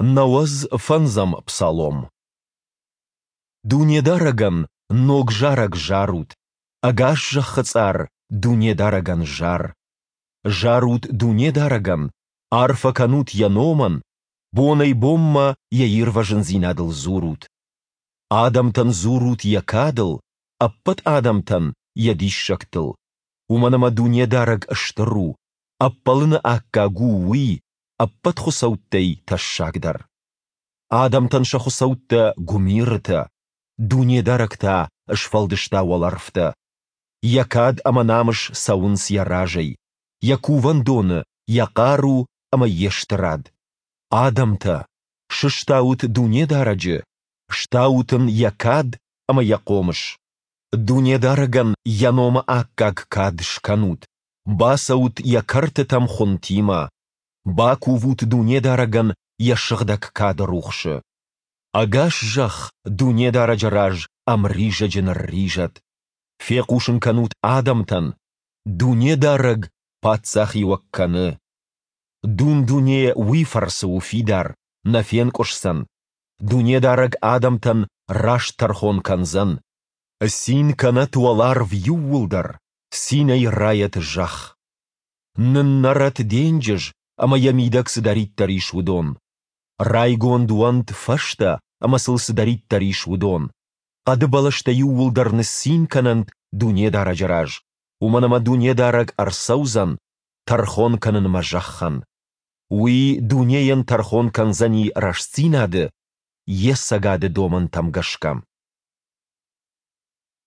95-ӕм псалом. Дунедарӕгӕн ног зарӕг зарут, ӕгас зӕххы цъар Дунедарӕгӕн зар. Зарут Дунедарӕгӕн, арфӕ кӕнут Йӕ номӕн, бонӕй-бонмӕ Йӕ ирвӕзындзинадыл дзурут. Адӕмтӕн дзурут Йӕ кадыл, ӕппӕт адӕмтӕн Йӕ диссӕгтыл. Уымӕн ӕмӕ Дунедарӕг стыр у, ӕппӕлыны аккаг у Уый, ӕппӕт хуыцӕуттӕй тӕссагдӕр. Адӕмтӕн сӕ хуыцӕуттӕ гуымирытӕ, Дунедарӕг та сфӕлдыста уӕлӕрвтӕ. Йӕ кад ӕмӕ намыс цӕуынц йӕ разӕй, йӕ кувӕндоны йӕ хъару ӕмӕ йе стырад. Адӕмтӕ, сыстаут Дунедарӕджы, стаут ын йӕ кад ӕмӕ йӕ хъомыс. Дунедарӕгӕн йӕ номы аккаг кад скӕнут, бацӕут йӕ кӕртытӕм хуынтимӕ, бакувут Дунедарӕгӕн йӕ сыгъдӕг кады рухсы. Ӕгас зӕхх Дунедарӕджы раз ӕмризӕджы нырризӕд. Фехъусын кӕнут адӕмтӕн, Дунедарӕг паддзахиуӕг кӕны. Дун-дуне уый фӕрцы у фидар, нӕ фенкъуысдзӕн. Дунедарӕг адӕмтӕн раст тӕрхон кӕндзӕн. Цин кӕнӕт уӕларв иууылдӕр, цинӕй райӕт зӕхх. Ныннӕрӕт денджыз ӕмӕ йӕ мидӕг цыдӕриддӕр ис, уыдон. Райгонд уӕнт фӕзтӕ ӕмӕ сыл цыдӕриддӕр ис, уыдон. Хъӕды бӕлӕстӕ иууылдӕр ныццин кӕнӕнт Дунедарӕджы раз, уымӕн ӕмӕ Дунедарӕг ӕрцӕудзӕн тӕрхон кӕнынмӕ зӕххӕн. Уый дунейӕн тӕрхон кӕндзӕни рӕстдзинады, йе цӕгады домӕнтӕм гӕсгӕ.